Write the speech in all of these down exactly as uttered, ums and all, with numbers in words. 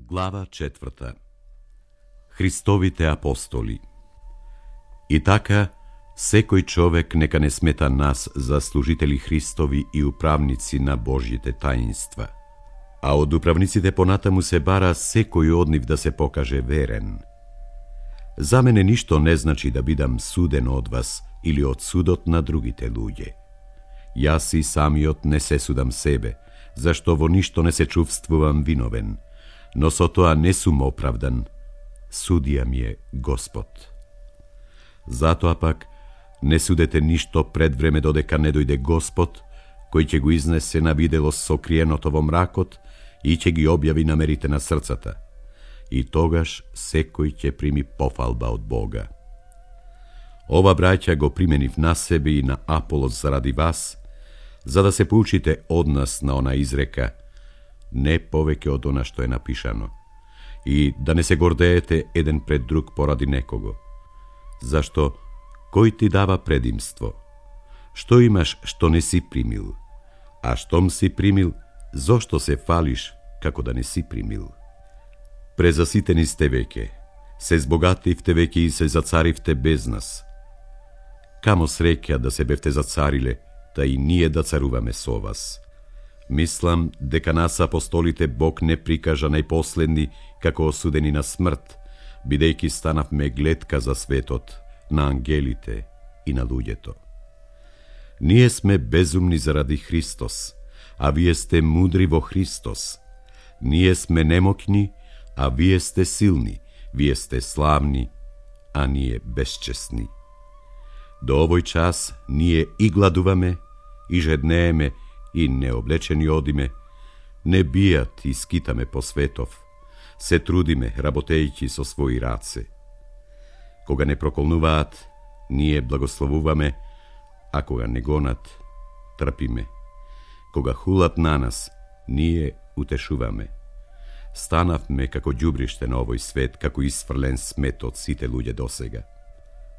Глава четврта. Христовите апостоли. И така, секој човек нека не смета нас за служители Христови и управници на Божјите таинства. А од управниците понатаму се бара секој од нив да се покаже верен. За мене ништо не значи да бидам суден од вас или од судот на другите луѓе. Јас и самиот не се судам себе, зашто во ништо не се чувствувам виновен, но со тоа не сум оправдан. Судија ми е Господ. Затоа пак, не судете ништо пред време додека не дојде Господ, кој ќе го изнесе на видело сокриеното во мракот и ќе ги објави намерите на срцата. И тогаш секој ќе прими пофалба од Бога. Ова, браќа, го применив на себе и на Аполос заради вас, за да се поучите од нас на она изрека, не повеќе од она што е напишано, и да не се гордеете еден пред друг поради некого. Зашто, кој ти дава предимство? Што имаш што не си примил? А штом си примил, зошто се фалиш како да не си примил? Презаситени сте веќе, се збогативте веќе и се зацаривте без нас. Камо среќа да се бевте зацариле, та и ние да царуваме со вас. Мислам дека нас апостолите Бог не прикажа најпоследни како осудени на смрт, бидејќи станавме гледка за светот, на ангелите и на луѓето. Ние сме безумни заради Христос, а вие сте мудри во Христос. Ние сме немокни, а вие сте силни, вие сте славни, а ние безчесни. До овој час ние и гладуваме, и жеднееме, и необлечени одиме, не бијат и скитаме по светов, се трудиме, работејќи со своји раце. Кога не проколнуваат, ние благословуваме, а кога не гонат, трпиме. Кога хулат на нас, ние утешуваме. Станавме како ѓубриште на овој свет, како исфрлен смет од сите луѓе досега.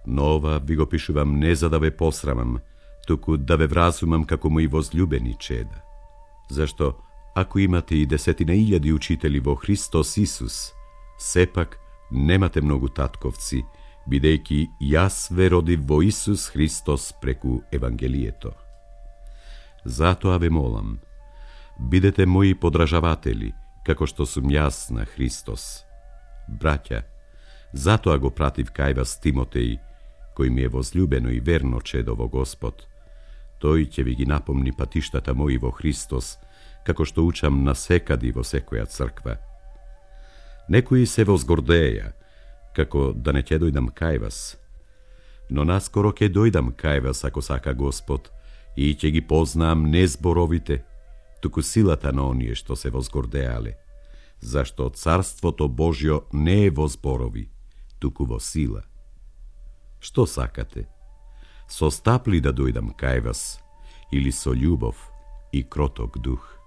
Но ова ви го пишувам не за да ве посрамам, туку да ве вразумам како мои возлюбени чеда. Зашто, ако имате и десетина илјади учители во Христос Исус, сепак немате многу татковци, бидејќи јас ве родив во Исус Христос преку Евангелието. Затоа ве молам, бидете мои подражаватели, како што сум јас на Христос. Браќа, затоа го пратив кај вас Тимотеј, кој ми е возлюбено и верно чедо во Господ. Тој ќе ви ги напомни патиштата мои во Христос, како што учам насекади во секоја црква. Некои се возгордеја, како да не ќе дојдам кај вас. Но наскоро ќе дојдам кај вас, ако сака Господ, и ќе ги познаам не зборовите, туку силата на оние што се возгордеале, зашто Царството Божјо не е во зборови, туку во сила. Што сакате? Со стапли да дојдам кај вас, или со љубов и кроток дух?